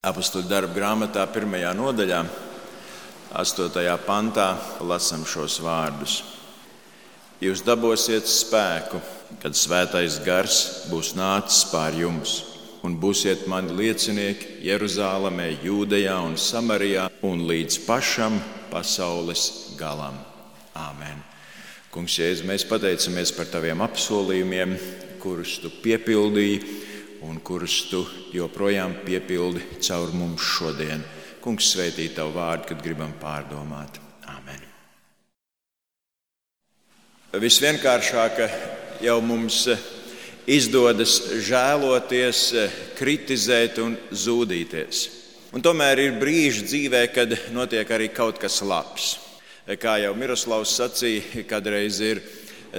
Apostoļu darbu grāmatā 1. nodaļā, 8. pantā, lasām šos vārdus. Jūs dabūsiet spēku, kad Svētais Gars būs nācis pār jums, un būsiet mani liecinieki Jeruzālemē, Jūdejā un Samarijā un līdz pašam pasaules galam. Āmen. Kungs, Jēzu, mēs pateicamies par taviem apsolījumiem, kurus tu piepildīji un kurus tu joprojām piepildi caur mums šodien. Kungs, svētī tavu vārdu, kad gribam pārdomāt. Āmen. Visvienkāršāk jau mums izdodas žēloties, kritizēt un zūdīties. Un tomēr ir brīži dzīvē, kad notiek arī kaut kas labs. Kā jau Miroslavs sacīja, kādreiz ir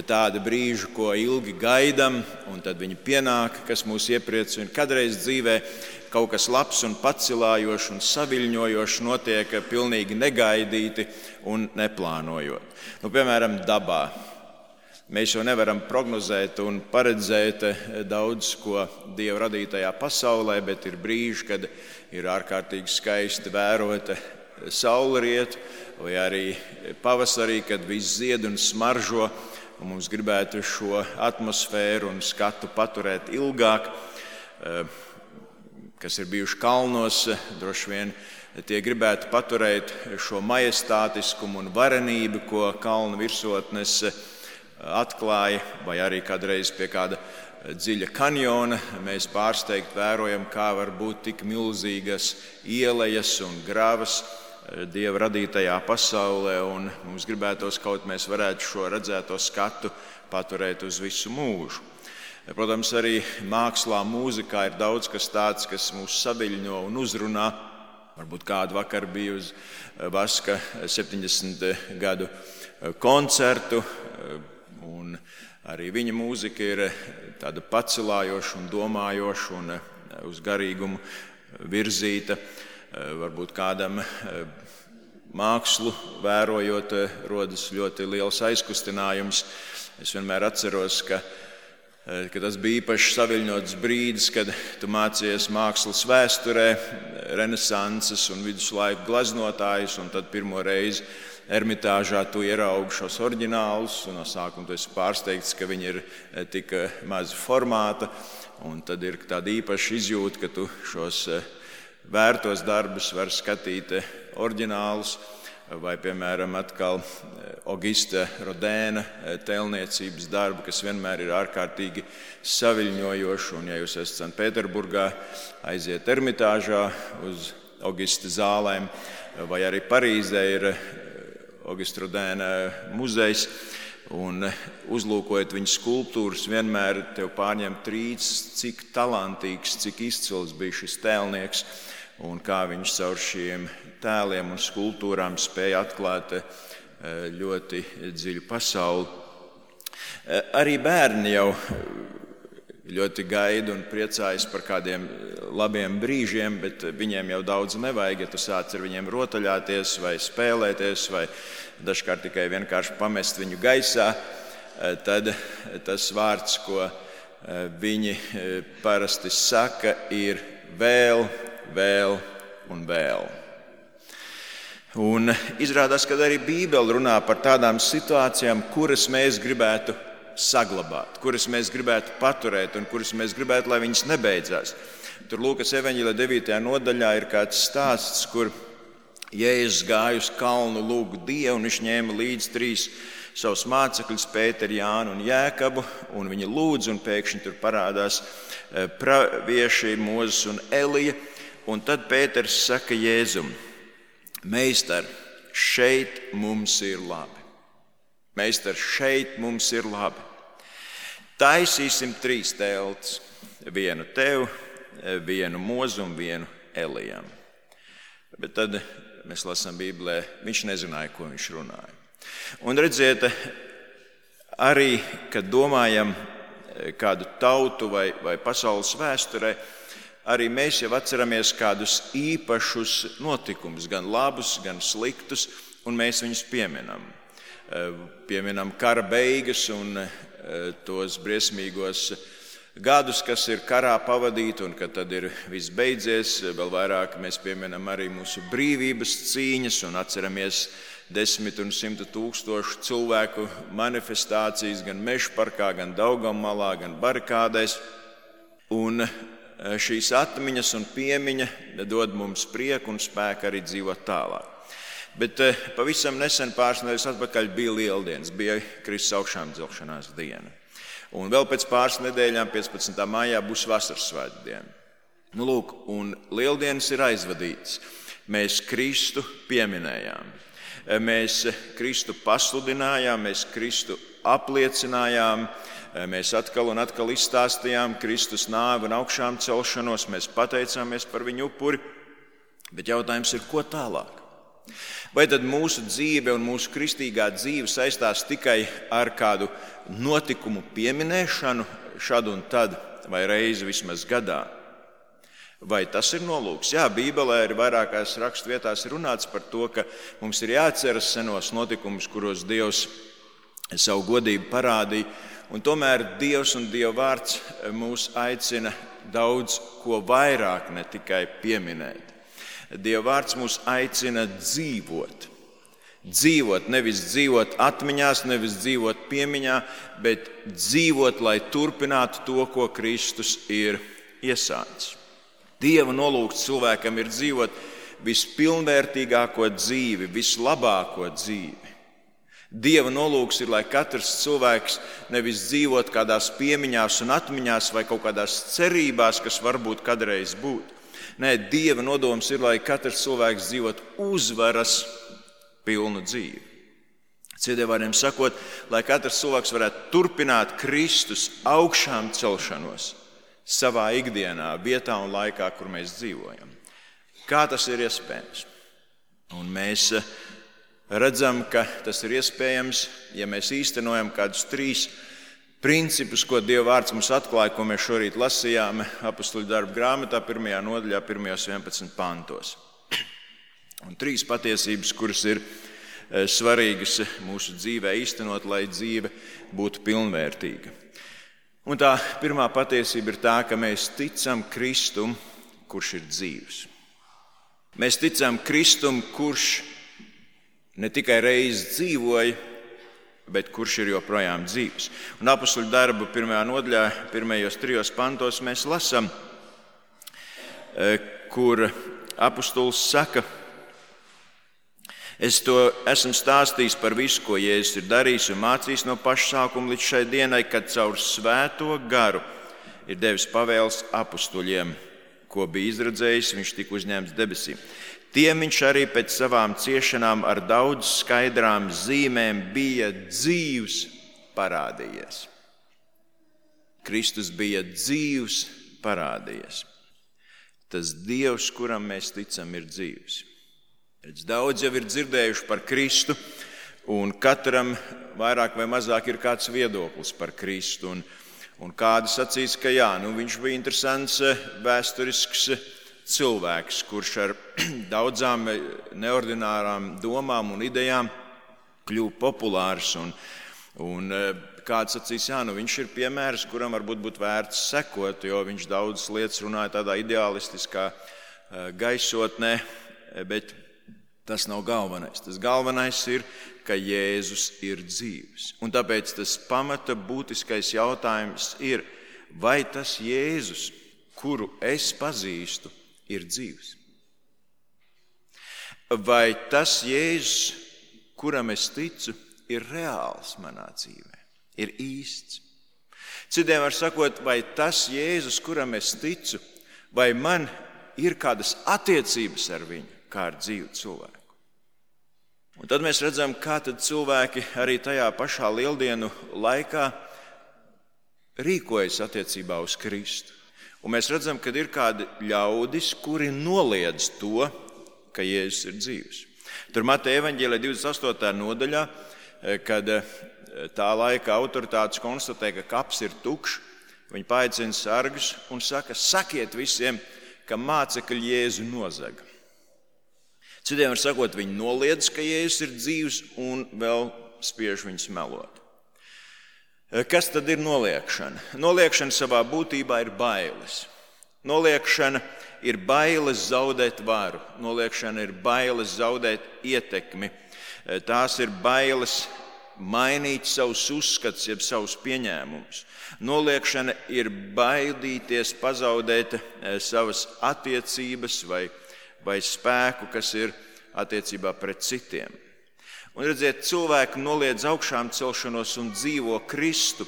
tādi brīži, ko ilgi gaidām, un tad viņi pienāk, kas mūs iepriecina. Kādreiz dzīvē kaut kas labs un pacilājošs un saviļņojošs notiek pilnīgi negaidīti un neplānojot. Piemēram, dabā. Mēs jau nevaram prognozēt un paredzēt daudz ko Dieva radītajā pasaulē, bet ir brīži, kad ir ārkārtīgi skaisti vērot saulrietu, vai arī pavasarī, kad viss zied un smaržo, un mums gribētu šo atmosfēru un skatu paturēt ilgāk. Kas ir bijuši kalnos, droši vien tie gribētu paturēt šo majestātiskumu un varenību, ko kalnu virsotnes atklāja, vai arī kādreiz pie kāda dziļa kanjona mēs pārsteigti vērojam, kā var būt tik milzīgas ielejas un gravas Dieva radītajā pasaulē, un mums gribētos kaut mēs varētu šo redzēto skatu paturēt uz visu mūžu. Protams, arī mākslā, mūzikā ir daudz kas tāds, kas mūs saviļņo un uzrunā. Varbūt kādu vakar bija uz Vaska 70 gadu koncertu, un arī viņa mūzika ir tāda pacilājoša un domājoša un uz garīgumu virzīta. Varbūt kādam mākslu vērojot, rodas ļoti liels aizkustinājums. Es vienmēr atceros, ka tas bija īpaši saviļņots brīdis, kad tu mācījies mākslas vēsturē, renesanses un viduslaiku glaznotājus, un tad pirmo reizi Ermitāžā tu ieraugi šos oriģinālus, un no sākuma tu esi pārsteigts, ka viņi ir tik maza formāta, un tad ir tāda īpaša izjūta, ka tu šos vērtos darbus var skatīt oriģinālus, vai, piemēram, atkal Augusta Rodēna tēlniecības darbu, kas vienmēr ir ārkārtīgi saviļņojoši. Un, ja jūs esat Sanktpēterburgā, aiziet Ermitāžā uz Augusta zālēm, vai arī Parīzē ir Augusta Rodēna muzejs, un uzlūkojot viņa skulptūras, vienmēr tev pārņem trīcis, cik talantīgs, cik izcils bija šis tēlnieks, un kā viņš caur šiem tēliem un skulptūrām spēja atklāt ļoti dziļu pasauli. Arī bērni jau ļoti gaida un priecājas par kādiem labiem brīžiem, bet viņiem jau daudz nevajag, ja tu sāc ar viņiem rotaļāties vai spēlēties, vai dažkārt tikai vienkārši pamest viņu gaisā, tad tas vārds, ko viņi parasti saka, ir vēl, vēl un vēl. Un izrādās, ka arī Bībele runā par tādām situācijām, kuras mēs gribētu saglabāt, kuras mēs gribētu paturēt un kuras mēs gribētu, lai viņas nebeidzās. Tur Lūkas evaņģēlija 9. nodaļā ir kāds stāsts, kur Jēzus gāja uz kalnu lūgt Dievu, un viņš ņēma līdzi 3 savus mācekļus, Pēteru, Jānu un Jēkabu, un viņi lūdz, un pēkšņi tur parādās pravieši Mūzes un Elija, un tad Pēters saka Jēzum: Meistar, šeit mums ir labi. Meistar, šeit mums ir labi. Taisīsim 3 teltis, vienu tev, vienu Mūzu un vienu Elijam. Bet tad mēs lasām Bībelē, viņš nezināja, ko viņš runāja. Un redziet, arī, kad domājam kādu tautu vai pasaules vēsturē, arī mēs jau atceramies kādus īpašus notikumus, gan labus, gan sliktus, un mēs viņus pieminam. Pieminam kara beigas un tos briesmīgos gadus, kas ir karā pavadīti, un kad tad ir viss beidzies. Vēl vairāk mēs pieminam arī mūsu brīvības cīņas un atceramies 10 un 100 tūkstošu cilvēku manifestācijas gan Mežaparkā, gan Daugavmalā, gan barikādēs. Un šīs atmiņas un piemiņa dod mums prieku un spēku arī dzīvot tālāk. Bet pavisam nesen, pāris nedēļas atpakaļ, bija Lieldienas, bija Kristus augšām celšanās diena. Un vēl pēc pāris nedēļām, 15. maijā, būs vasaras svētku diena. Lūk, un Lieldienas ir aizvadītas. Mēs Kristu pieminējām, mēs Kristu pasludinājām, mēs Kristu apliecinājām, mēs atkal un atkal izstāstījām Kristus nāvi un augšām celšanos, mēs pateicāmies par viņu upuri, bet jautājums ir, ko tālāk? Vai tad mūsu dzīve un mūsu kristīgā dzīve saistās tikai ar kādu notikumu pieminēšanu šad un tad, vai reizi vismaz gadā? Vai tas ir nolūks? Jā, Bībelē ir vairākās raksturvietās runāts par to, ka mums ir jāatceras senos notikumus, kuros Dievs savu godību parādīja, un tomēr Dievs un Dieva vārds mūs aicina daudz ko vairāk, ne tikai pieminēt. Dieva vārds mūs aicina dzīvot. Dzīvot, nevis dzīvot atmiņās, nevis dzīvot piemiņā, bet dzīvot, lai turpinātu to, ko Kristus ir iesācis. Dieva nolūks cilvēkam ir dzīvot vispilnvērtīgāko dzīvi, vislabāko dzīvi. Dieva nolūks ir, lai katrs cilvēks nevis dzīvot kādās piemiņās un atmiņās vai kaut kādās cerībās, kas varbūt kādreiz būtu. Nē, Dieva nodoms ir, lai katrs cilvēks dzīvot uzvaras pilnu dzīvi. Citiem vārdiem sakot, lai katrs cilvēks varētu turpināt Kristus augšām celšanos savā ikdienā, vietā un laikā, kur mēs dzīvojam. Kā tas ir iespējams? Un mēs redzam, ka tas ir iespējams, ja mēs īstenojam kādus 3 principus, ko Dieva vārds mums atklāja, ko mēs šorīt lasījām Apostoļu darbu grāmatā, 1. nodaļā, 1.11 pantos. Un 3 patiesības, kuras ir svarīgas mūsu dzīvē īstenot, lai dzīve būtu pilnvērtīga. Un tā pirmā patiesība ir tā, ka mēs ticam Kristum, kurš ir dzīvs. Mēs ticam Kristum, kurš ne tikai reiz dzīvoja, bet kurš ir joprojām dzīvs. Un Apostoļu darbu 1. nodaļā, 1.3 pantos mēs lasām, kur apostols saka: Es to esmu stāstījis par visu, ko Jēzus ir darījis un mācījis no paša sākuma līdz šai dienai, kad caur svēto garu ir devis pavēles apostoļiem, ko bija izredzējis, viņš tika uzņemts debesīm. Tiem viņš arī pēc savām ciešanām ar daudz skaidrām zīmēm bija dzīvs parādījies. Kristus bija dzīvs parādījies. Tas Dievs, kuram mēs ticam, ir dzīvs. Daudz jau ir dzirdējuši par Kristu, un katram vairāk vai mazāk ir kāds viedoklis par Kristu. Un kādi sacīs, ka jā, viņš bija interesants vēsturisks cilvēks, kurš ar daudzām neordinārām domām un idejām kļuva populārs. Un kāds sacīs, jā, viņš ir piemērs, kuram varbūt būtu vērts sekot, jo viņš daudzas lietas runāja tādā ideālistiskā gaisotnē, bet tas nav galvenais. Tas galvenais ir, ka Jēzus ir dzīvs. Un tāpēc tas pamata būtiskais jautājums ir, vai tas Jēzus, kuru es pazīstu, ir dzīvs? Vai tas Jēzus, kuram es ticu, ir reāls manā dzīvē, ir īsts? Citiem var sakot, vai tas Jēzus, kuram es ticu, vai man ir kādas attiecības ar viņu, kā ar dzīvu cilvēku? Un tad mēs redzam, kā tad cilvēki arī tajā pašā Lieldienu laikā rīkojas attiecībā uz Kristu. Un mēs redzam, ka ir kādi ļaudis, kuri noliedz to, ka Jēzus ir dzīvs. Tur Mateja evaņģēlijā 28. nodaļā, kad tā laika autoritātes konstatē, ka kaps ir tukšs, viņi paaicina sargus un saka: sakiet visiem, ka mācekļi Jēzu nozaga. Citiem var sakot, viņi noliedz, ka Jēzus ir dzīvs, un vēl spiež viņus melot. Kas tad ir noliegšana? Noliegšana savā būtībā ir bailes. Noliegšana ir bailes zaudēt varu. Noliegšana ir bailes zaudēt ietekmi. Tās ir bailes mainīt savus uzskatus, jeb savus pieņēmumus. Noliegšana ir baidīties pazaudēt savas attiecības vai spēku, kas ir attiecībā pret citiem. Un redziet, cilvēki noliedz augšām celšanos un dzīvo Kristu,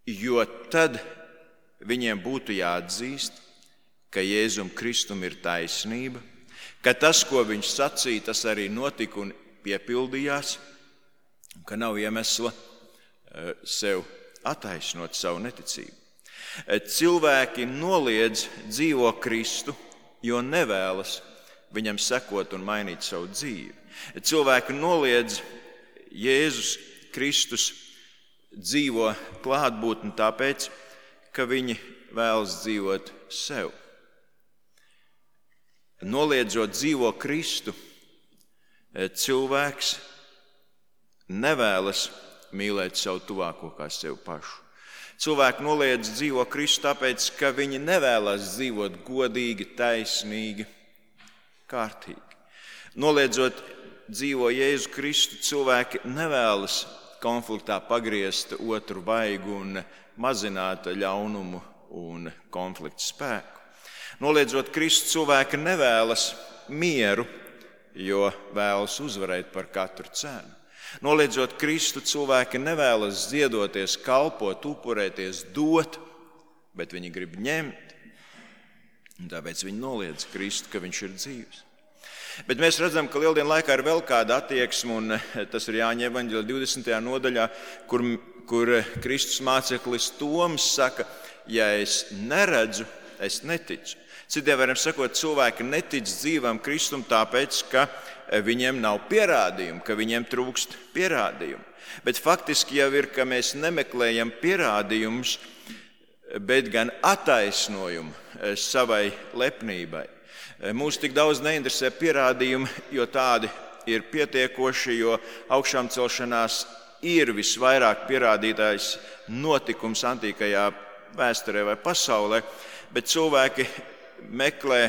jo tad viņiem būtu jāatzīst, ka Jēzum Kristum ir taisnība, ka tas, ko viņš sacīja, tas arī notika un piepildījās, ka nav iemesla sev attaisnot savu neticību. Cilvēki noliedz dzīvo Kristu, jo nevēlas viņam sekot un mainīt savu dzīvi. Cilvēki noliedz Jēzus Kristus dzīvo klātbūtni tāpēc, ka viņi vēlas dzīvot sev. Noliedzot dzīvo Kristu, cilvēks nevēlas mīlēt savu tuvāko kā sev pašu. Cilvēki noliedz dzīvo Kristu tāpēc, ka viņi nevēlas dzīvot godīgi, taisnīgi, kārtīgi. Noliedzot dzīvo Jēzu Kristu, cilvēki nevēlas konfliktā pagriezt otru vaigu un mazināt ļaunumu un konfliktu spēku. Noliedzot Kristu, cilvēki nevēlas mieru, jo vēlas uzvarēt par katru cenu. Noliedzot Kristu, cilvēki nevēlas ziedoties, kalpot, upurēties, dot, bet viņi grib ņemt. Un tāpēc viņi noliedz Kristu, ka viņš ir dzīvs. Bet mēs redzam, ka Lieldienu laikā ir vēl kāda attieksme, un tas ir Jāņa evaņģēlijā 20. nodaļā, kur Kristus māceklis Toms saka, ja es neredzu, es neticu. Citiem vārdiem sakot, cilvēki netic dzīvam Kristum tāpēc, ka viņiem nav pierādījumu, ka viņiem trūkst pierādījumu. Bet faktiski jau ir, ka mēs nemeklējam pierādījumus, bet gan attaisnojumu savai lepnībai. Mūs tik daudz neinteresē pierādījumi, jo tādi ir pietiekoši, jo augšām celšanās ir visvairāk pierādītājs notikums antīkajā vēsturē vai pasaulē, bet cilvēki meklē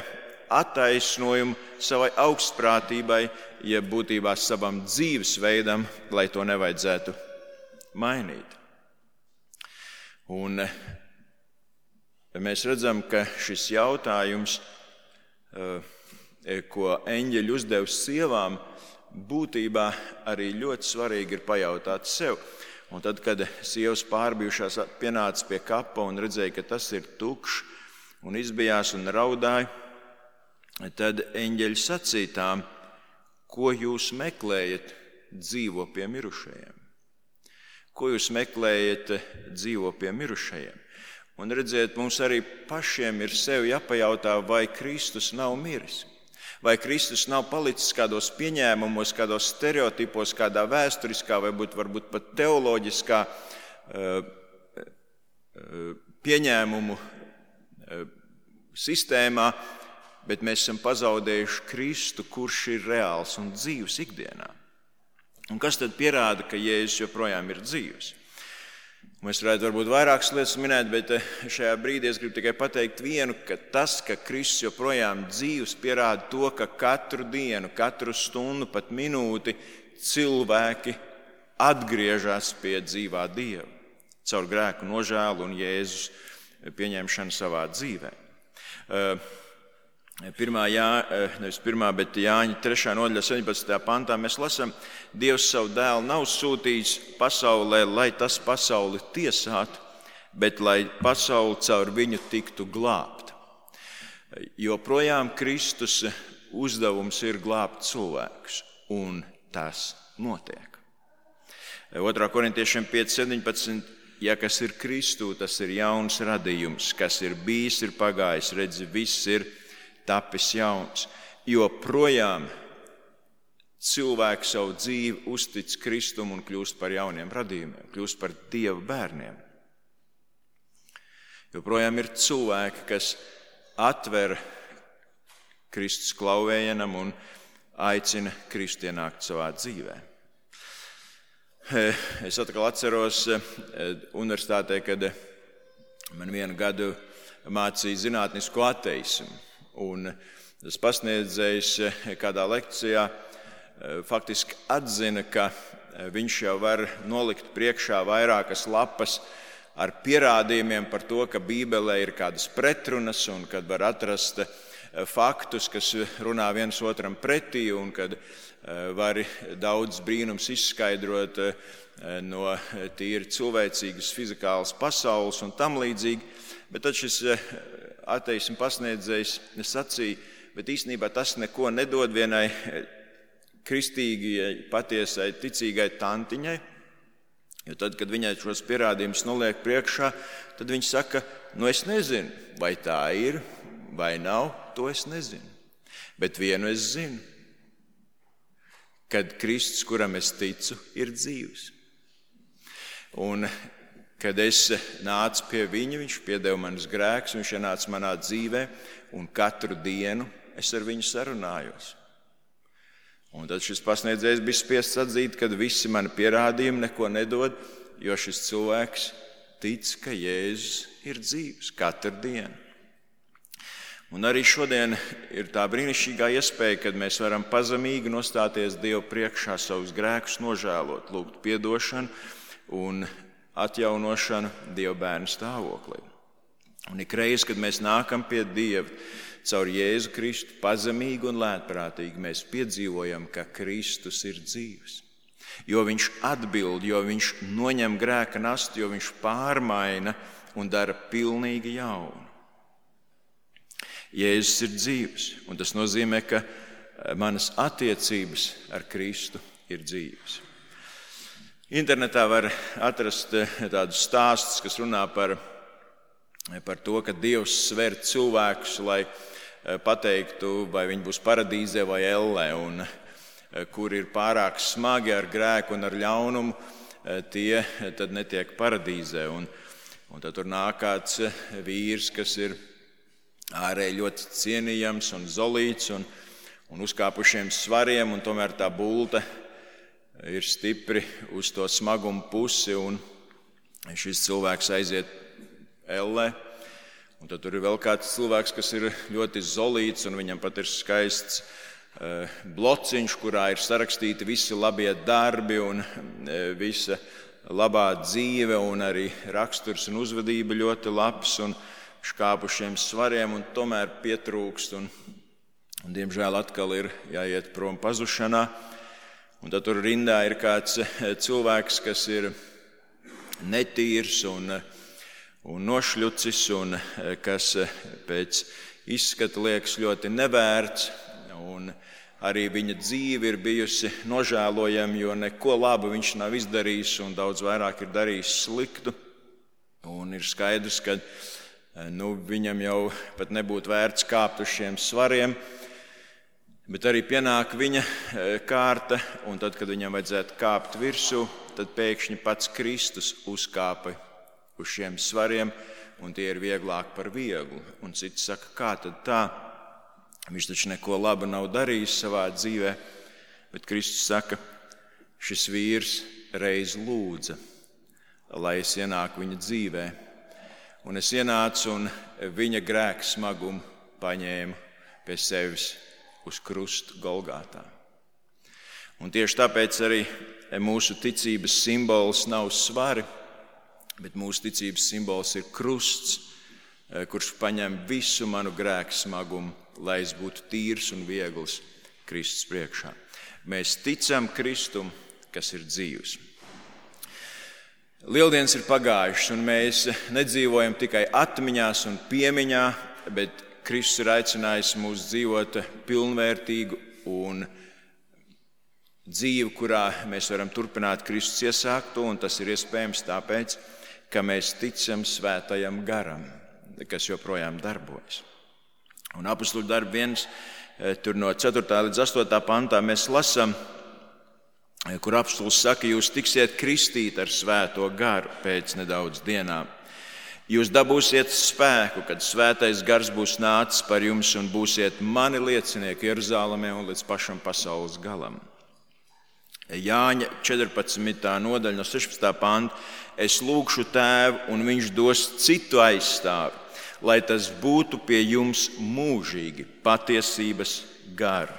attaisnojumu savai augstprātībai, jeb būtībā savam dzīvesveidam, lai to nevajadzētu mainīt. Un mēs redzam, ka šis jautājums, ko eņģeļi uzdevis sievām, būtībā arī ļoti svarīgi ir pajautāt sev. Un tad, kad sievas pārbijušās pienāca pie kapa un redzēja, ka tas ir tukšs un izbijās un raudāja, tad eņģeļi sacīja tām, ko jūs meklējat, dzīvo pie mirušajiem. Ko jūs meklējat, dzīvo pie mirušajiem? Un redziet, mums arī pašiem ir sev jāpajautā, vai Kristus nav miris. Vai Kristus nav palicis kādos pieņēmumos, kādos stereotipos, kādā vēsturiskā, varbūt pat teoloģiskā pieņēmumu sistēmā, bet mēs esam pazaudējuši Kristu, kurš ir reāls un dzīvs ikdienā. Un kas tad pierāda, ka Jēzus joprojām ir dzīvs? Mēs varētu varbūt vairākas lietas minēt, bet šajā brīdī es gribu tikai pateikt vienu, ka tas, ka Kristus joprojām dzīvs, pierāda to, ka katru dienu, katru stundu, pat minūti cilvēki atgriežas pie dzīvā Dieva caur grēku nožēlu un Jēzus pieņemšanu savā dzīvē. Bet Jāņa 3. nodaļā 17. pantā mēs lasām, Dievs savu dēlu nav sūtījis pasaulē, lai tas pasauli tiesātu, bet lai pasauli caur viņu tiktu glābta. Joprojām Kristus uzdevums ir glābt cilvēkus, un tas notiek. 2. korintiešiem 5.17. Ja kas ir Kristū, tas ir jauns radījums, kas ir bijis, ir pagājis, redzi, viss ir tapis jauns. Joprojām cilvēks savu dzīvi uztic Kristum un kļūst par jauniem radījumiem, kļūst par Dieva bērniem. Joprojām ir cilvēki, kas atver Kristus klauvējienam un aicina Kristu ienākt savā dzīvē. Es atkal atceros universitātē, kad man vienu gadu mācīja zinātnisko ateismu. Un tas pasniedzējs kādā lekcijā faktiski atzina, ka viņš jau var nolikt priekšā vairākas lapas ar pierādījumiem par to, ka Bībelē ir kādas pretrunas un kad var atrast faktus, kas runā viens otram pretī un kad var daudz brīnums izskaidrot no tīri cilvēcīgas fizikālas pasaules un tam līdzīgi. Bet tad šis ateismu pasniedzējs sacīja, bet īstenībā tas neko nedod vienai kristīgai, patiesai, ticīgai tantiņai. Jo tad, kad viņai šos pierādījumus noliek priekšā, tad viņa saka, es nezinu, vai tā ir, vai nav, to es nezinu. Bet vienu es zinu, kad Kristus, kuram es ticu, ir dzīvs. Un kad es nācu pie viņa, viņš piedeva manas grēkus, viņš ienāca manā dzīvē, un katru dienu es ar viņu sarunājos. Un tad šis pasniedzējs bija spiests atzīt, ka visi mani pierādījumi neko nedod, jo šis cilvēks tic, ka Jēzus ir dzīvs katru dienu. Un arī šodien ir tā brīnišķīgā iespēja, kad mēs varam pazemīgi nostāties Dievu priekšā, savus grēkus nožēlot, lūgt piedošanu un atjaunošanu Dieva bērnu stāvoklī. Un ikreiz, kad mēs nākam pie Dieva, caur Jēzu Kristu pazemīgi un lētprātīgi mēs piedzīvojam, ka Kristus ir dzīvs. Jo viņš atbild, jo viņš noņem grēka nastu, jo viņš pārmaina un dara pilnīgi jaunu. Jēzus ir dzīvs, un tas nozīmē, ka manas attiecības ar Kristu ir dzīvas. Internetā var atrast tādus stāstus, kas runā par to, ka Dievs sver cilvēkus, lai pateiktu, vai viņi būs paradīzē vai ellē, un kur ir pārāk smagi ar grēku un ar ļaunumu, tie tad netiek paradīzē. Un tad tur nāk kāds vīrs, kas ir ārēji ļoti cienījams un zolīts un uzkāpušiem svariem, un tomēr tā bulta ir stipri uz to smagumu pusi, un šis cilvēks aiziet ellē. Un tad tur ir vēl kāds cilvēks, kas ir ļoti zolīts, un viņam pat ir skaists blociņš, kurā ir sarakstīti visi labie darbi un visa labā dzīve, un arī raksturs un uzvedība ļoti labs, un škāpušiem svariem, un tomēr pietrūkst, un diemžēl atkal ir jāiet prom pazušanā. Un tad tur rindā ir kāds cilvēks, kas ir netīrs un nošļucis, un kas pēc izskata liekas ļoti nevērts, un arī viņa dzīve ir bijusi nožēlojama, jo neko labu viņš nav izdarījis, un daudz vairāk ir darījis sliktu. Un ir skaidrs, ka viņam jau pat nebūtu vērts kāpt uz šiem svariem, bet arī pienāk viņa kārta, un tad, kad viņam vajadzētu kāpt virsū, tad pēkšņi pats Kristus uzkāpa uz šiem svariem, un tie ir vieglāk par vieglu. Un cits saka, kā tad tā? Viņš taču neko labu nav darījis savā dzīvē, bet Kristus saka, šis vīrs reiz lūdza, lai es ienāku viņa dzīvē. Un es ienācu un viņa grēka smagumu paņēmu pie sevis uz krustu Golgātā. Un tieši tāpēc arī mūsu ticības simbols nav svari, bet mūsu ticības simbols ir krusts, kurš paņem visu manu grēku smagumu, lai es būtu tīrs un viegls Kristus priekšā. Mēs ticam Kristum, kas ir dzīvs. Lieldienas ir pagājušas, un mēs nedzīvojam tikai atmiņās un piemiņā, bet Kristus ir aicinājis mūs dzīvot pilnvērtīgu un dzīvi, kurā mēs varam turpināt Kristus iesākto, un tas ir iespējams tāpēc, ka mēs ticam Svētajam garam, kas joprojām darbojas. Un Apostoļu darbu 1, tur no 4. līdz 8. pantā mēs lasām, kur apostols saka, jūs tiksiet kristīti ar Svēto garu pēc nedaudz dienām. Jūs dabūsiet spēku, kad Svētais gars būs nācis par jums un būsiet mani liecinieki Jeruzālemē un līdz pašam pasaules galam. Jāņa 14. nodaļa no 16. panta. Es lūgšu Tēvu, un viņš dos citu aizstāvi, lai tas būtu pie jums mūžīgi, patiesības garu.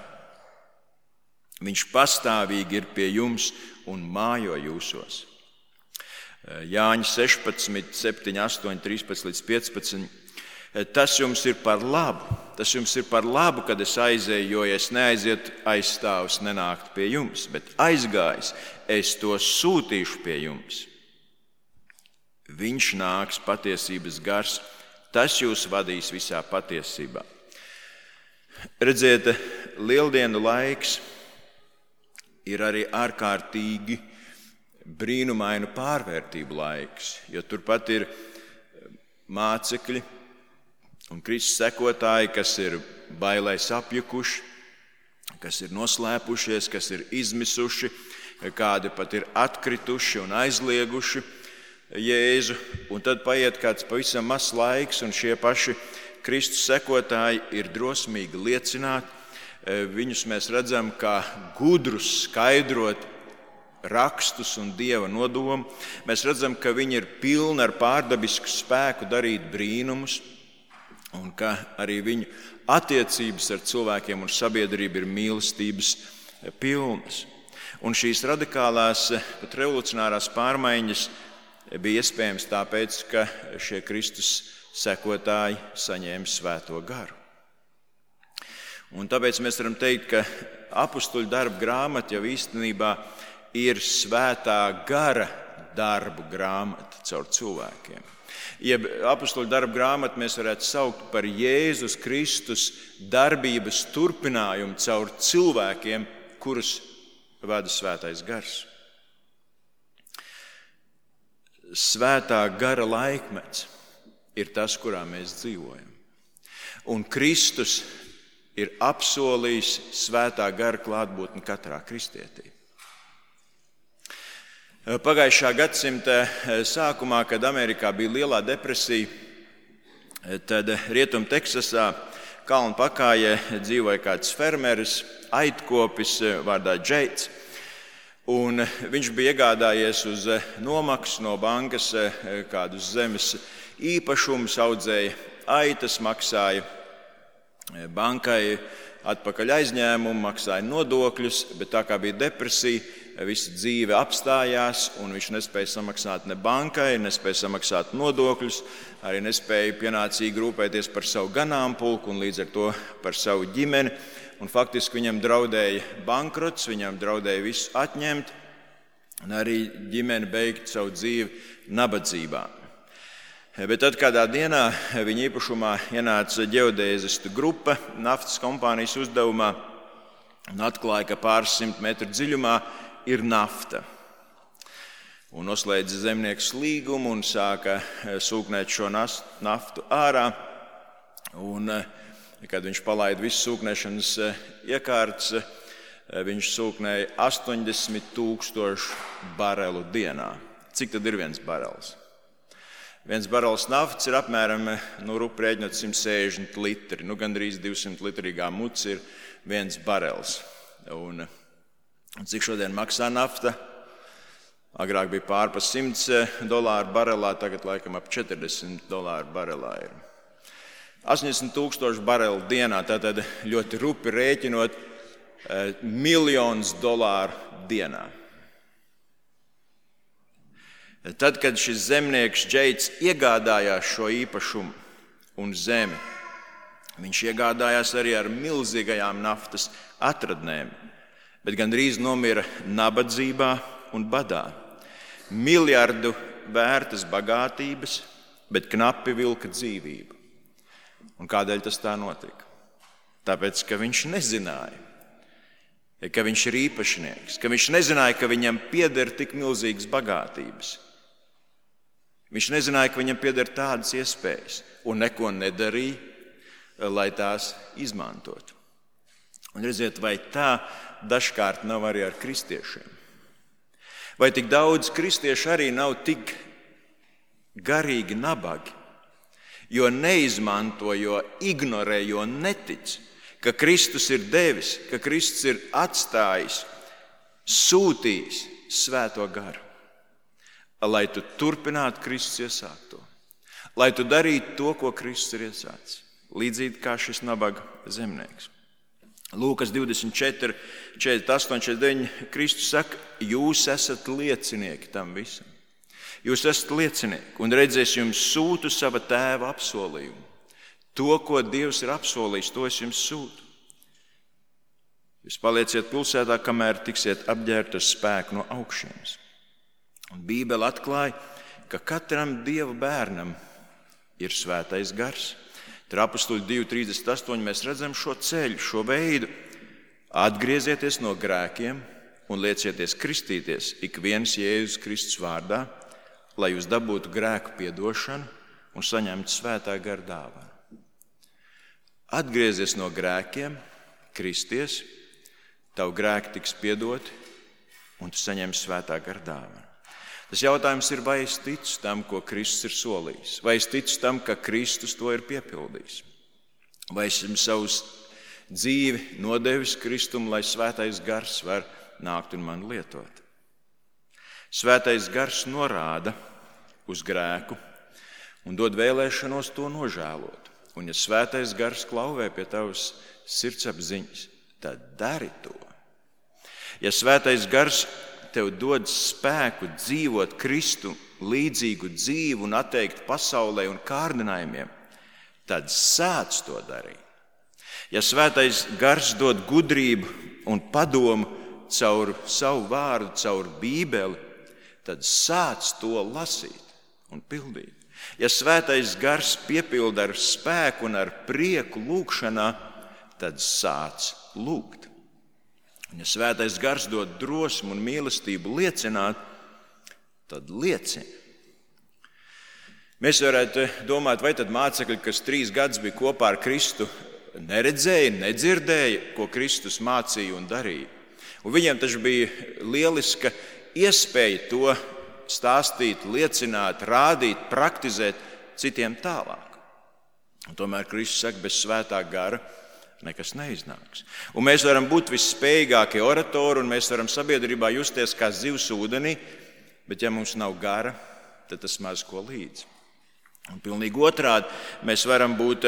Viņš pastāvīgi ir pie jums un mājo jūsos. Jāņa 16, 7, 8, 13 līdz 15. Tas jums ir par labu, kad es aizēju, jo ja es neaizietu, aizstāvs nenāktu pie jums, bet aizgājis, es to sūtīšu pie jums. Viņš nāks, patiesības gars, tas jūs vadīs visā patiesībā. Redziet, lieldienu laiks ir arī ārkārtīgi brīnumainu pārvērtību laiks, jo turpat ir mācekļi un Kristus sekotāji, kas ir bailēs apjukuši, kas ir noslēpušies, kas ir izmisuši, kādi pat ir atkrituši un aizlieguši Jēzu. Un tad paiet kāds pavisam mazs laiks, un šie paši Kristus sekotāji ir drosmīgi liecināt. Viņus mēs redzam kā gudrus skaidrot rakstus un Dieva nodomu. Mēs redzam, ka viņi ir pilni ar pārdabisku spēku darīt brīnumus, un ka arī viņu attiecības ar cilvēkiem un sabiedrību ir mīlestības pilnas. Un šīs radikālās, pat revolucionārās pārmaiņas bija iespējams tāpēc, ka šie Kristus sekotāji saņēma svēto garu. Un tāpēc mēs varam teikt, ka apustuļu darbu grāmata jau īstenībā ir svētā gara darbu grāmata caur cilvēkiem. Jeb apustuļu darbu grāmatu mēs varētu saukt par Jēzus Kristus darbības turpinājumu caur cilvēkiem, kurus vada svētais gars. Svētā gara laikmets ir tas, kurā mēs dzīvojam. Un Kristus ir apsolījis svētā gara klātbūtni katrā kristietī. Pagājušā gadsimta sākumā, kad Amerikā bija lielā depresija, tad Rietum Teksasā kalnu pakājē dzīvoja kāds fermeris, aitkopis vārdā Džeits. Un viņš bija iegādājies uz nomaksu no bankas kādus zemes īpašumus, audzēja aitas, maksāja bankai atpakaļ aizņēmumu, maksāja nodokļus, bet tā kā bija depresija, visa dzīve apstājās, un viņš nespēja samaksāt ne bankai, nespēja samaksāt nodokļus, arī nespēja pienācīgi rūpēties par savu ganāmpulku un līdz ar to par savu ģimeni. Un faktiski viņam draudēja bankrots, viņam draudēja visu atņemt, un arī ģimene beigt savu dzīvi nabadzībā. Bet tad kādā dienā viņa īpašumā ienāca ģeodēzistu grupa naftas kompānijas uzdevumā un atklāja, ka pāris 100 metru dziļumā ir nafta. Un noslēdza zemnieks līgumu un sāka sūknēt šo naftu ārā. Un, kad viņš palaida visu sūknēšanas iekārtas, viņš sūknēja 80,000 barelu dienā. Cik tad ir viens barels? Viens barels naftas ir apmēram, rēķinot 160 litri. Gandrīz 200 litrīgā muca ir viens barels. Un cik šodien maksā nafta? Agrāk bija pārpa $100 barelā, tagad laikam ap $40 barelā ir. 80,000 barelu dienā, tātad ļoti rupi rēķinot $1 miljons dienā. Tad, kad šis zemnieks Džeits iegādājās šo īpašumu un zemi, viņš iegādājās arī ar milzīgajām naftas atradnēm, bet gandrīz nomira nabadzībā un badā. Miljardu vērtas bagātības, bet knapi vilka dzīvību. Un kādēļ tas tā notika? Tāpēc, ka viņš nezināja, ka viņš ir īpašnieks, ka viņš nezināja, ka viņam pieder tik milzīgas bagātības. Viņš nezināja, ka viņam pieder tādas iespējas un neko nedarīja, lai tās izmantotu. Un redziet, vai tā dažkārt nav arī ar kristiešiem? Vai tik daudz kristiešu arī nav tik garīgi nabagi, jo neizmanto, jo ignorē, jo netic, ka Kristus ir devis, ka Kristus ir atstājis sūtījis Svēto garu, lai tu turpinātu Kristus iesākto, lai tu darītu to, ko Kristus ir iesācis, līdzīgi kā šis nabaga zemnieks. Lūkas 24, 48, 49, Kristus saka, jūs esat liecinieki tam visam. Jūs esat liecinieki, un redzēs, jums sūtu sava tēva apsolījumu. To, ko Dievs ir apsolījis, to es jums sūtu. Jūs palieciet pilsētā, kamēr tiksiet apģērbti ar spēku no augšienes. Un Bībele atklāja, ka katram Dieva bērnam ir svētais gars. Tur Apostoļu 2:38 mēs redzam šo ceļu, šo veidu. Atgriezieties no grēkiem un liecieties kristīties ik viens Jēzus Kristus vārdā, lai jūs dabūtu grēku piedošanu un saņemtu svētā gara dāvanu. Atgriezies no grēkiem, kristies, tavu grēki tiks piedoti un tu saņemsi svētā gara dāvanu. Tas jautājums ir, vai es ticu tam, ko Kristus ir solījis? Vai es ticu tam, ka Kristus to ir piepildījis? Vai esmu savus dzīvi nodevis Kristum, lai svētais gars var nākt un man lietot? Svētais gars norāda uz grēku un dod vēlēšanos to nožēlot. Un ja svētais gars klauvē pie tavas sirdsapziņas, tad dari to. Ja svētais gars tev dod spēku dzīvot Kristu līdzīgu dzīvi un atteikt pasaulē un kārdinājumiem, tad sāc to darīt. Ja svētais gars dod gudrību un padomu caur savu vārdu, caur Bībeli, tad sāc to lasīt un pildīt. Ja svētais gars piepilda ar spēku un ar prieku lūgšanā, tad sāc lūgt. Un ja svētais gars dod drosmu un mīlestību liecināt, tad liecini. Mēs varētu domāt, vai tad mācekļi, kas 3 gadus bija kopā ar Kristu, neredzēja, nedzirdēja, ko Kristus mācīja un darīja. Un viņiem taču bija lieliska iespēja to stāstīt, liecināt, rādīt, praktizēt citiem tālāk. Un tomēr Kristus saka, bez svētā gara nekas neiznāks. Un mēs varam būt visspējīgākie oratori, un mēs varam sabiedrībā justies kā zivs ūdenī, bet ja mums nav gara, tad tas maz ko līdz. Un pilnīgi otrādi, mēs varam būt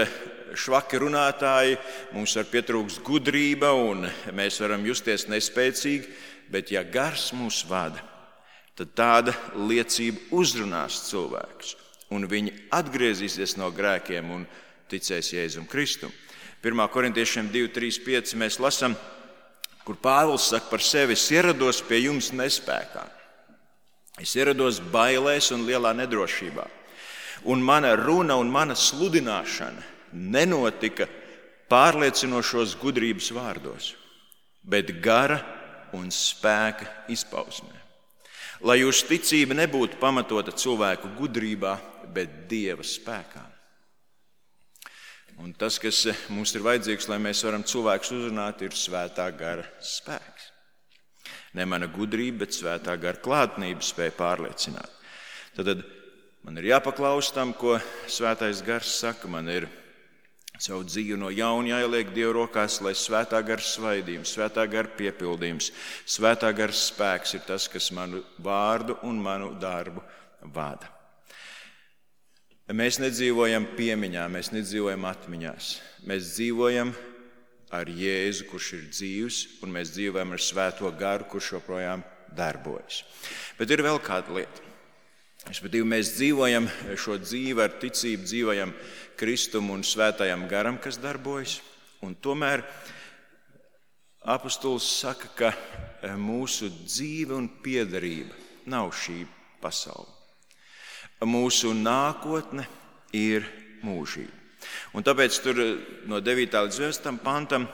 švaki runātāji, mums var pietrūkst gudrība, un mēs varam justies nespēcīgi, bet ja gars mūs vada, tad tāda liecība uzrunās cilvēkus, un viņi atgriezīsies no grēkiem un ticēs Jēzum Kristum. 1. Korintiešiem 2:3-5 mēs lasām, kur Pāvils saka par sevi: es ierados pie jums nespēkā. Es ierados bailēs un lielā nedrošībā. Un mana runa un mana sludināšana nenotika pārliecinošos gudrības vārdos, bet gara un spēka izpausmē. Lai jūsu ticība nebūtu pamatota cilvēku gudrībā, bet Dieva spēkā. Un tas, kas mums ir vajadzīgs, lai mēs varam cilvēkus uzrunāt, ir svētā gara spēks. Ne mana gudrība, bet svētā gara klātnība spēja pārliecināt. Tad man ir jāpaklaus tam, ko svētais gars saka. Man ir savu dzīvi no jauna jāieliek Dieva rokās, lai svētā gara svaidījums, svētā gara piepildījums, svētā gara spēks ir tas, kas manu vārdu un manu darbu vada. Mēs nedzīvojam piemiņā, mēs nedzīvojam atmiņās. Mēs dzīvojam ar Jēzu, kurš ir dzīvs, un mēs dzīvojam ar svēto garu, kurš joprojām darbojas. Bet ir vēl kāda lieta. Mēs dzīvojam šo dzīvi ar ticību, dzīvojam Kristum un svētajam garam, kas darbojas. Un tomēr apostols saka, ka mūsu dzīve un piederība nav šī pasaule. Mūsu nākotne ir mūžība. Un tāpēc tur no 9. līdz 11. pantam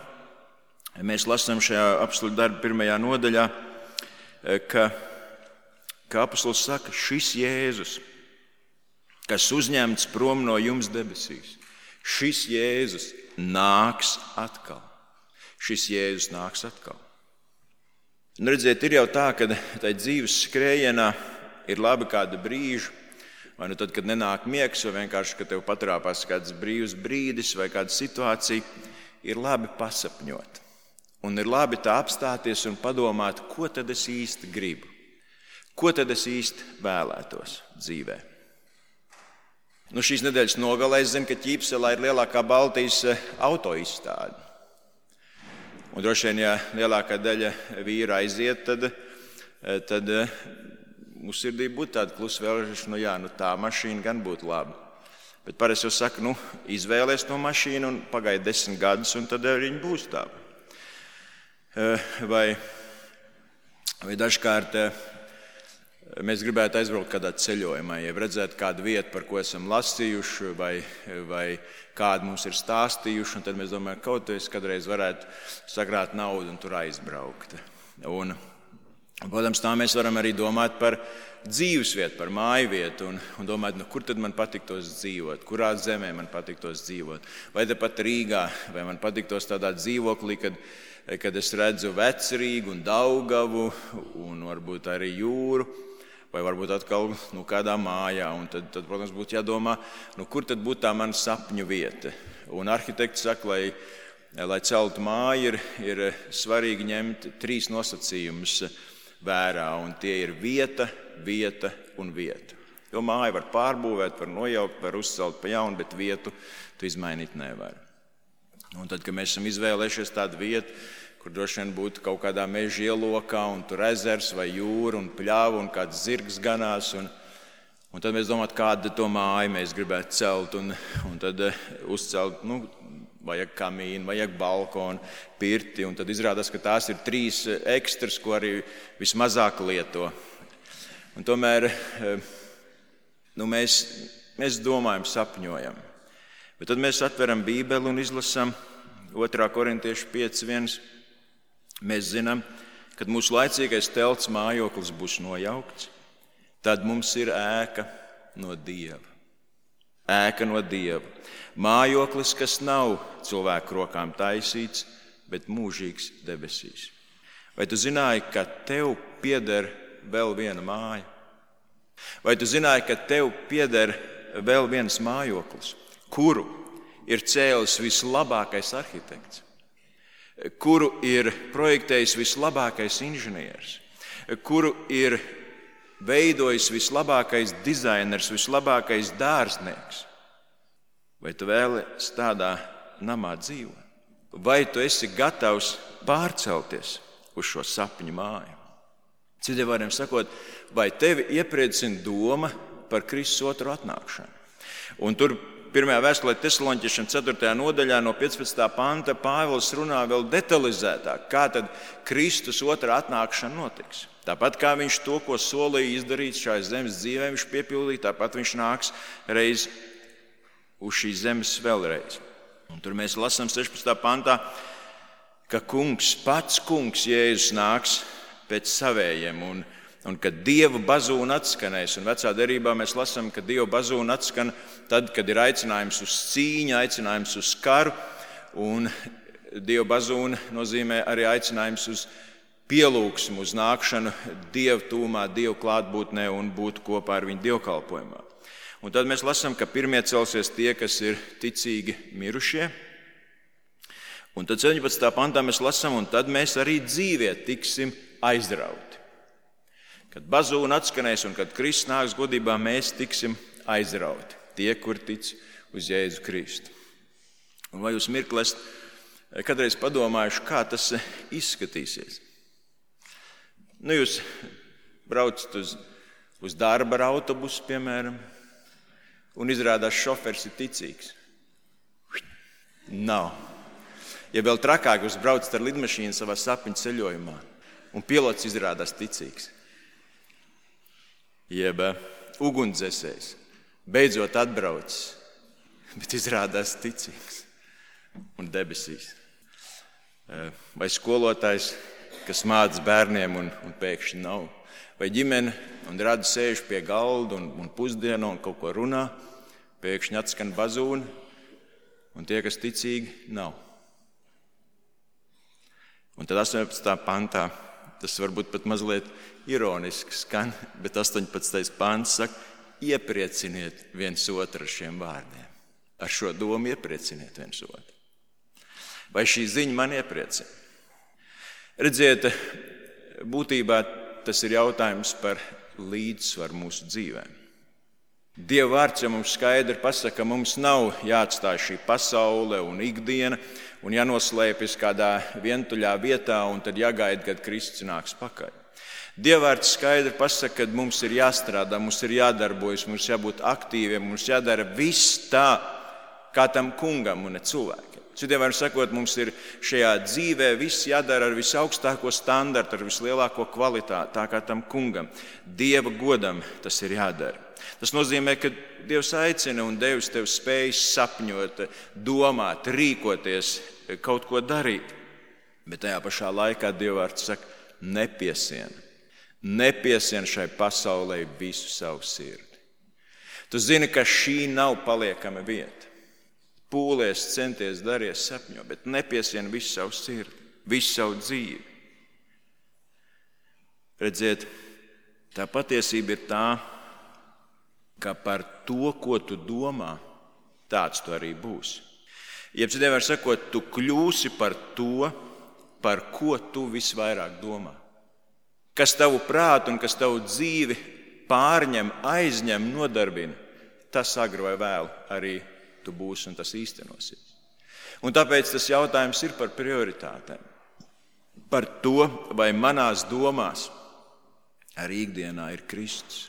mēs lasām šajā apostoļu darba 1. nodaļā, ka apostols saka, šis Jēzus, kas uzņemts prom no jums debesīs, šis Jēzus nāks atkal. Šis Jēzus nāks atkal. Un redziet, ir jau tā, ka tai dzīves skrējienā ir labi kāda brīža, vai nu tad, kad nenāk miegs, vai vienkārši, kad tev patrāpās kāds brīvs brīdis vai kāda situācija, ir labi pasapņot. Un ir labi tā apstāties un padomāt, ko tad es īsti gribu, ko tad es īsti vēlētos dzīvē. Šīs nedēļas nogalē es zinu, ka Ķīpselā ir lielākā Baltijas autoizstāde. Un droši vien, ja lielākā daļa vīra aiziet, tad mūsu sirdī būtu tāda klusa vēlēšana, tā mašīna gan būtu laba. Bet parasti jau saka, izvēlies to mašīnu un pagaidi 10 gadus, un tad viņa būs tāda. Vai dažkārt mēs gribētu aizbraukt kādā ceļojumā, ja redzētu kādu vietu, par ko esam lasījuši, vai kādu mums ir stāstījuši, un tad mēs domājam, ka kaut es kādreiz varētu sakrāt naudu un tur aizbraukt. Un, protams, tā mēs varam arī domāt par dzīvesvietu, par mājvietu un domāt, kur tad man patiktos dzīvot, kurā zemē man patiktos dzīvot, vai tepat Rīgā, vai man patiktos tādā dzīvoklī, kad es redzu Vecrīgu un Daugavu un varbūt arī jūru, vai varbūt atkal kādā mājā. Un tad, protams, būtu jādomā, kur tad būtu tā mana sapņu vieta. Un arhitekti saka, lai celtu māju, ir svarīgi ņemt 3 nosacījumus vērā, un tie ir vieta, vieta un vieta. Jo māju var pārbūvēt, var nojaukt, var uzcelt pa jaunu, bet vietu tu izmainīt nevar. Un tad, kad mēs esam izvēlējušies tādu vietu, kur droši vien būtu kaut kādā meža ielokā, un tur ezers vai jūra un pļava un kāds zirgs ganās, un tad mēs domājam, kādu to māju mēs gribētu celt, un tad uzcelt, vajag kamīnu, vajag balkonu, pirti, un tad izrādās, ka tās ir 3 ekstras, ko arī vismazāk lieto. Un tomēr mēs domājam, sapņojam. Bet tad mēs atveram Bībeli un izlasām 2. Korintiešu 5:1. Mēs zinām, kad mūsu laicīgais telts mājoklis būs nojaukts, tad mums ir ēka no Dieva. Ēka no Dieva. Mājoklis, kas nav cilvēku rokām taisīts, bet mūžīgs debesīs. Vai tu zināji, ka tev pieder vēl viena māja? Vai tu zināji, ka tev pieder vēl viens mājoklis, kuru ir cēlis vislabākais arhitekts, kuru ir projektējis vislabākais inženieris, kuru ir veidojis vislabākais dizainers, vislabākais dārznieks? Vai tu vēlies tādā namā dzīvot? Vai tu esi gatavs pārcelties uz šo sapņu māju? Citiem vārdiem sakot, vai tevi iepriecina doma par Kristus otru atnākšanu? Un tur 1. vēstulē Tesaloniķiešiem 4. nodaļā no 15. panta Pāvils runā vēl detalizētāk, kā tad Kristus otrā atnākšana notiks. Tāpat kā viņš to, ko solīja izdarīt šajā zemes dzīvē, viņš piepildīja, tāpat viņš nāks reiz uz šīs zemes vēlreiz. Un tur mēs lasām 16. pantā, ka pats kungs Jēzus nāks pēc savējiem, un kad Dieva bazūna atskanēs, un vecā derībā mēs lasām, ka Dieva bazūna atskan tad, kad ir aicinājums uz cīņu, aicinājums uz karu, un Dieva bazūna nozīmē arī aicinājums uz pielūgsmu, uz nākšanu Dieva tūmā, Dieva klātbūtnē un būt kopā ar viņu dievkalpojumā. Un tad mēs lasām, ka pirmie celsies tie, kas ir ticīgi mirušie, un tad 17. pantā mēs lasām, un tad mēs arī dzīvie tiksim aizrauti. Kad bazūna atskanēs un kad Kristus nāks godībā, mēs tiksim aizrauti. Tie, kur tic uz Jēzu Kristu. Un vai jūs mirkli esat kādreiz padomājuši, kā tas izskatīsies? Jūs braucat uz darba ar autobusu, piemēram, un izrādās šoferis ir ticīgs. Nav. Ja vēl trakāk jūs braucat ar lidmašīnu savā sapņu ceļojumā, un pilots izrādās ticīgs. Jeb ugunsdzēsējs beidzot atbraucis, bet izrādās ticīgs un debesīs. Vai skolotājs, kas māca bērniem un pēkšņi nav. Vai ģimene un radi sēž pie galda un pusdienā un kaut ko runā, pēkšņi atskan bazūna, un tie, kas ticīgi, nav. Un tad 18. pantā, tas varbūt pat mazliet ironiski skan, bet 18. pants saka, ieprieciniet viens otru ar šiem vārdiem. Ar šo domu ieprieciniet viens otru. Vai šī ziņa man iepriecina? Redziet, būtībā tas ir jautājums par līdzsvaru mūsu dzīvēm. Dieva vārds jau mums skaidri pasaka, ka mums nav jāatstāj šī pasaule un ikdiena un jānoslēpjas kādā vientuļā vietā un tad jāgaida, kad Kristus nāks pakaļ. Dieva vārds skaidri pasaka, ka mums ir jāstrādā, mums ir jādarbojas, mums jābūt aktīviem, mums jādara viss tā, kā tam kungam un ne cilvēkiem. Citiem vārdiem sakot, mums ir šajā dzīvē viss jādara ar visaugstāko standartu, ar vislielāko kvalitāti, tā kā tam kungam. Dieva godam tas ir jādara. Tas nozīmē, ka Dievs aicina un devis tev spējas sapņot, domāt, rīkoties, kaut ko darīt. Bet tajā pašā laikā Dieva vārds saka, nepiesien. Nepiesien šai pasaulē visu savu sirdi. Tu zini, ka šī nav paliekama vieta. Pūlies, centies, daries, sapņo, bet nepiesien visu savu sirdi, visu savu dzīvi. Redziet, tā patiesība ir tā, ka par to, ko tu domā, tāds tu arī būsi. Jeb citiem vārdiem sakot, tu kļūsi par to, par ko tu visvairāk domā. Kas tavu prātu un kas tavu dzīvi pārņem, aizņem, nodarbina, tas agri vai vēlu arī tu būsi un tas īstenosies. Un tāpēc tas jautājums ir par prioritātēm. Par to, vai manās domās arī ikdienā ir Kristus.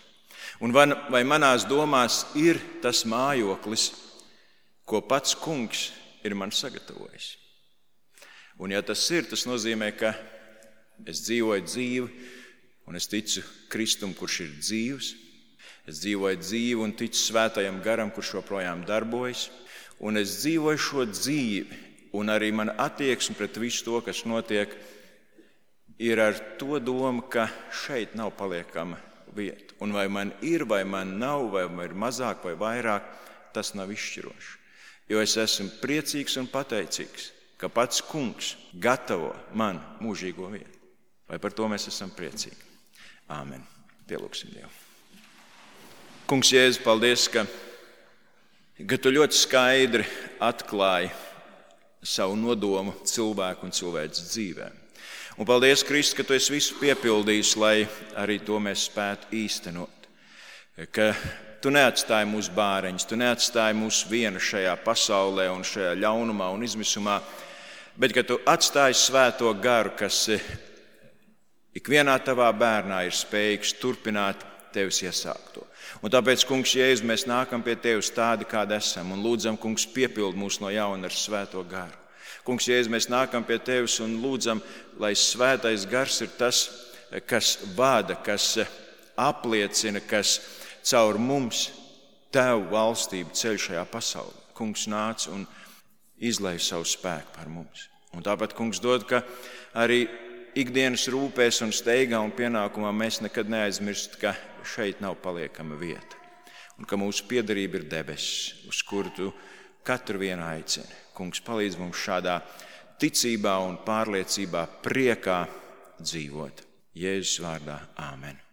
Un vai manās domās ir tas mājoklis, ko pats kungs ir man sagatavojis. Un ja tas ir, tas nozīmē, ka es dzīvoju dzīvi un es ticu Kristum, kurš ir dzīvs. Es dzīvoju dzīvi un ticu svētajam garam, kurš joprojām darbojas. Un es dzīvoju šo dzīvi un arī mana attieksme pret visu to, kas notiek, ir ar to domu, ka šeit nav paliekama vieta. Un vai man ir, vai man nav, vai man ir mazāk vai vairāk, tas nav izšķiroši. Jo es esmu priecīgs un pateicīgs, ka pats kungs gatavo man mūžīgo vietu. Vai par to mēs esam priecīgi? Āmen. Pielūgsim Dievu. Kungs Jēzus, paldies, ka tu ļoti skaidri atklāji savu nodomu cilvēku un cilvēces dzīvēm. Un paldies, Kristus, ka tu esi visu piepildījis, lai arī to mēs spētu īstenot. Ka tu neatstāji mūsu bāreņus, tu neatstāji mūs vienu šajā pasaulē un šajā ļaunumā un izmisumā, bet ka tu atstāji svēto garu, kas ikvienā tavā bērnā ir spējīgs turpināt tevis iesākto. Un tāpēc, kungs Jēzus, mēs nākam pie tevis tādi, kādi esam, un lūdzam, kungs, piepild mūs no jauna ar svēto garu. Kungs Jēzus, mēs nākam pie tevis un lūdzam, lai svētais gars ir tas, kas vada, kas apliecina, kas caur mums tev valstību ceļ šajā pasaulē. Kungs nāc un izlej savu spēku par mums. Un tāpat, kungs, dod, ka arī ikdienas rūpēs un steigā un pienākumā mēs nekad neaizmirst, ka šeit nav paliekama vieta. Un ka mūsu piederība ir debesis, uz kuru tu katru vienu aicini. Kungs, palīdz mums šādā ticībā un pārliecībā, priekā dzīvot. Jēzus vārdā. Āmen.